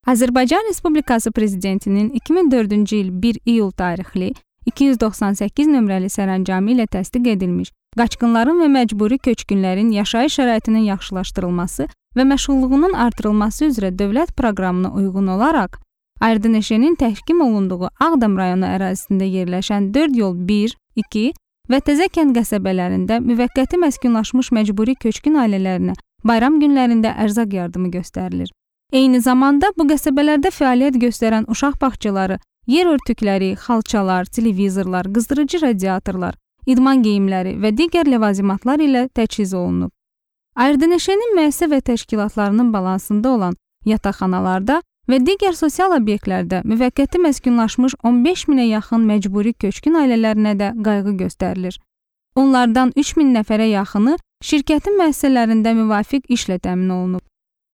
Azərbaycan Respublikası Prezidentinin 2004-cü il 1 iyul tarixli 298 nömrəli sərəncamı ilə təsdiq edilmiş qaçqınların və məcburi köçkünlərin yaşayış şəraitinin yaxşılaşdırılması və məşğulluğunun artırılması üzrə dövlət proqramına uyğun olaraq Aydın Eşenin təhkim olunduğu Ağdam rayonu ərazisində yerləşən 4 yol 1, 2 və Təzəkənd qəsəbələrində müvəqqəti məskunlaşmış məcburi köçkün ailələrinə bayram günlərində ərzaq yardımı göstərilir. Eyni zamanda bu qəsəbələrdə fəaliyyət göstərən uşaq bağçaları, yer örtükləri, xalçalar, televizorlar, qızdırıcı radiatorlar, idman geyimləri və digər ləvazimatlar ilə təchiz olunub. Aydın Eşenin müəssisə və təşkilatlarının balansında olan yataqxanalarda və digər sosial obyektlərdə müvəqqəti məskunlaşmış 15 minə yaxın məcburi köçkün ailələrinə də qayğı göstərilir. Onlardan 3 min nəfərə yaxını şirkətin müəssisələrində müvafiq işlə təmin olunub.